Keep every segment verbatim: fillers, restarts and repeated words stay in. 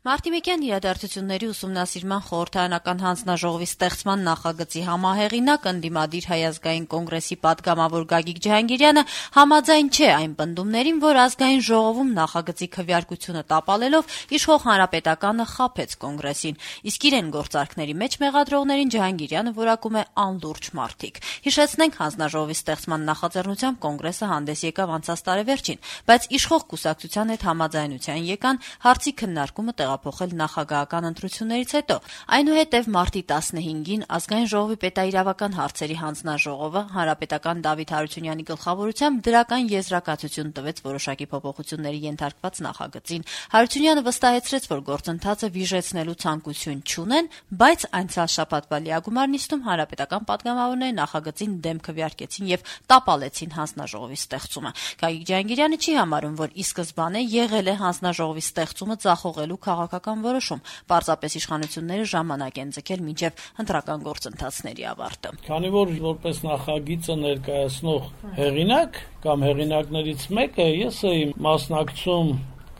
Մարտիմեկյան իրադարձությունների ուսումնասիրման խորհրդարանական հանձնաժողովի ստեղծման նախագծի համահեղինակ, ընդդիմադիր Հայ ազգային կոնգրեսի պատգամավոր Գագիկ Ջհանգիրյանը համաձայն չէ այն պնդումներին, որ ազգային ժողովում նախագծի քվեարկությունը տապալելով իշխող Հանրապետականը խաբեց կոնգրեսին, իսկ իրեն գործարքների մեջ մեղադրողներին Ջհանգիրյանը որակում է անլուրջ մարդիկ։ Հիշեցնենք, հանձնաժողովի ստեղծման նախաձեռնությամբ կոնգրեսը հանդես եկավ անցած տարեվերջին, բայց իշխող կուսակցության հետ համաձայնության եկան հարցի քննարկումը տեղափոխել նախագահական ընտրություններից հետո։ Այնուհետև մարտի տասնհինգին ազգային ժողովի պետաիրավական հարցերի հանձնաժողովը հանրապետական Դավիթ Հարությունյանի գլխավորությամբ դրական եզրակացություն տվեց որոշակի փոփոխությունների ենթարկված նախագծին։ Հարությունյանը վստահեցրեց, որ գործընթացը վիժեցնելու ցանկություն չունեն, բայց անցյալ շաբաթվա լիագումար նիստում հանրապետական պատգամավորները նախագծին դեմ քվեարկեցին եւ տապալեցին հանձնաժողովի ստեղծումը։ Գագիկ Ջհանգիրյանը չի համարում, որ ի սկզբանե եղել է հանձնաժողովի ստեղծումը ձախողելու քաղաքական որոշում, պարզապես իշխանությունները ժամանակ են ձգել մինչև ընտրական գործընթացների ավարտը։ Քանի որ որպես նախագիծը ներկայացնող հեղինակ կամ հեղինակներից մեկը ես էի մասնակցում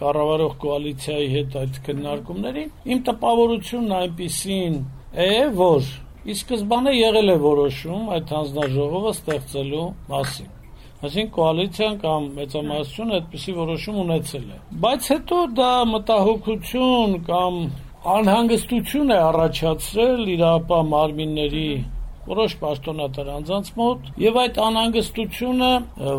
կառավարող կոալիցիայի հետ այդ քննարկումներին, իմ տպավորությունն այնպիսին է, որ ի սկզբանե եղել է որոշում այդ հանձնաժողովը ստեղծելու մասին։ Այսինքն կոալիցիան կամ մեծամասնությունը այդպիսի որոշում ունեցել է։ Բայց հետո դա մտահոգություն կամ անհանգստություն է առաջացրել իրապահ մարմինների որոշ պաշտոնատար անձանց մոտ, եւ այդ անհանգստությունը,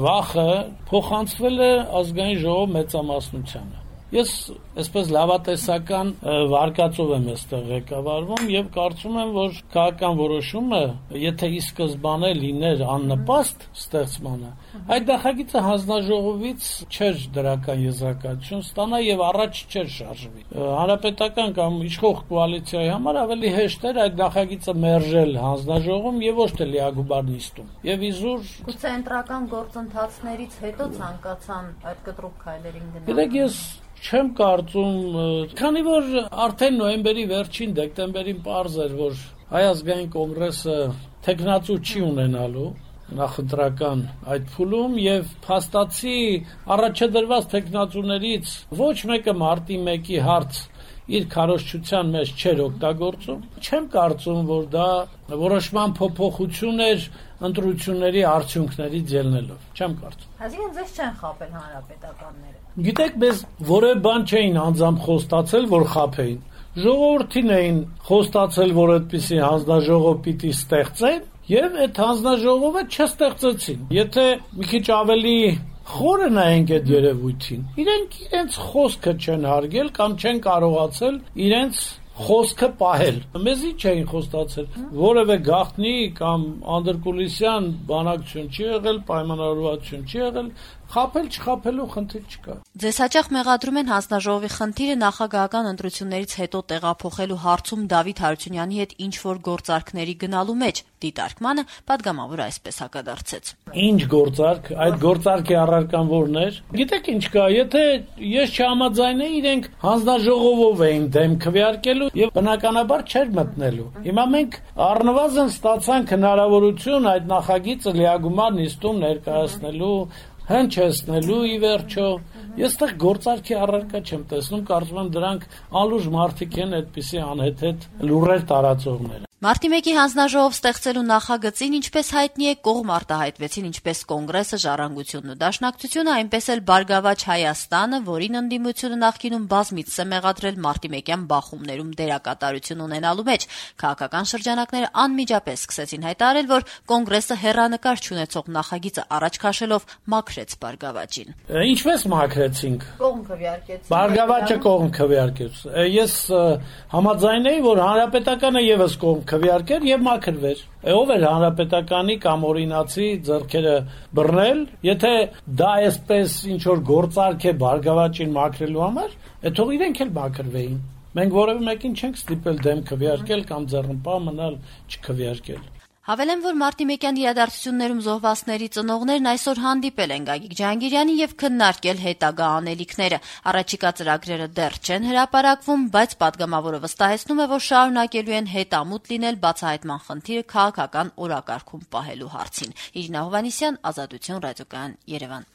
վախը փոխանցվել է ազգային ժողով մեծամասնությանը։ Ես այսպես լավատեսական վարկածով եմ այստեղ ղեկավարվում եւ կարծում եմ, որ քաղաքական որոշումը, եթե ի սկզբանե լիներ աննպաստ ստեղծմանը, այդ նախագիծը հանձնաժողովից չէր դրական եզրակացություն ստանա եւ առաջ չէր շարժվի։ Հանրապետական կամ իշխող կոալիցիայի համար ավելի հեշտ էր այդ նախագիծը մերժել հանձնաժողովում եւ ոչ թե լիագումար նիստում։ Եվ իզուր գուցե ընտրական գործընթացներից հետո ցանկացան այդ կտրուկ քայլերին գնալ։ Գիտեք, ես չեմ կարծում, քանի որ արդեն նոյեմբերի վերջին դեկտեմբերին պարզ էր, որ Հայ ազգային կոնգրեսը թեկնածու չի ունենալու նախընտրական այդ փուլում եւ փաստացի առաջադրված թեկնածուներից ոչ մեկը մարտի մեկի հարց իր քարոզչության մեջ չէր օգտագործում։ Չեմ կարծում, որ դա որոշման փոփոխություն էր ընտրությունների արդյունքներից ելնելով։ Չեմ կարծում։ Այսինքն ձեզ չեն խաբել հանրապետականները։ Գիտեք, մեզ որևէ բան չէին անձամբ խոստացել, որ խաբեին։ Ժողովրդին էին խոստացել, որ այդպիսի հանձնաժողով պիտի ստեղծեն, եւ այդ հանձնաժողովը չստեղծեցին։ Եթե մի քիչ ավելի խորը նայենք այդ երևույթին, իրենք իրենց խոսքը չեն հարգել կամ չեն կարողացել իրենց խոսքը պահել։ Մեզի չէին խոստացել, որևէ գաղտնի կամ անդրկուլիսյան բանակցություն չի եղել, պայմանավորվածություն չի եղել, խաբել չխաբելու խնդիր չկա։ Ձեզ հաճախ մեղադրում են հանձնաժողովի խնդիրը նախագահական ընտրություններից հետո տեղափոխելու հարցում Դավիթ Հարությունյանի հետ ինչ-որ գործարքների գնալու մեջ։ Դիտարկմանը պատգամավորը այսպես հակադարձեց։ Ինչ գործարք, այդ գործարքի առարկան որն էր։ Գիտեք ինչ կա, եթե ես չհամաձայնեի, իրենք հանձնաժողովով էին դեմ քվեարկելու եւ բնականաբար չէր մտնելու։ Հիմա մենք առնվազն ստացանք հնարավորություն այդ նախագիծը լիագումար նիստում ներկայացնելու, հնչեցնելու ի վերջո։ Ես տեղ գործարքի առարկա չեմ տեսնում, կարծում եմ դրանք անլուրջ մարդիկ են այդպիսի անհեթեթ լուրեր տարածողները։ Մարտի մեկի հանձնաժողով ստեղծելու նախագծին, ինչպես հայտնի է, կողմ արտահայտվեցին ինչպես կոնգրեսը, Ժառանգությունն ու Դաշնակցությունը, այնպես էլ Բարգավաճ Հայաստանը, որին ընդդիմությունը նախկինում բազմիցս է մեղադրել մարտիմեկյան բախումներում դերակատարություն ունենալու մեջ։ Քաղաքական շրջանակները անմիջապես սկսեցին հայտարարել, որ կոնգրեսը հեռանկար չունեցող նախագիծը առաջ քաշելով մաքրեց Բարգավաճին։ Ինչպես մաքրեցինք։ Կողմ քվեարկեցին։ Բարգավաճը կողմ քվեարկեց։ Ես համաձայն էի, որ հանրապետականը եւս կողմ քվեարկեր եւ մաքրվեր։ Ով էր հանրապետականի կամ օրինացի ձեռքերը բռնել, եթե դա այսպես ինչ որ գործարք է Բարգավաճին մաքրելու համար, թող իրենք էլ մաքրվեին։ Մենք որևէ մեկին չենք ստիպել դեմ քվեարկել կամ ձեռնպահ մնալ չքվեարկել։ Հավելեմ, որ մարտիմեկյան իրադարձություններում զոհվածների ծնողներն այսօր հանդիպել են Գագիկ Ջհանգիրյանին եւ քննարկել հետագա անելիքները։ Առաջիկա ծրագրերը դեռ չեն հրապարակվում, բայց պատգամավորը վստահեցնում է, որ շարունակելու են հետամուտ լինել բացահայտման խնդիրը քաղաքական օրակարգում պահելու հարցին։ Իրինա Հովհաննիսյան, Ազատություն, ռադիոկայան, Երևան։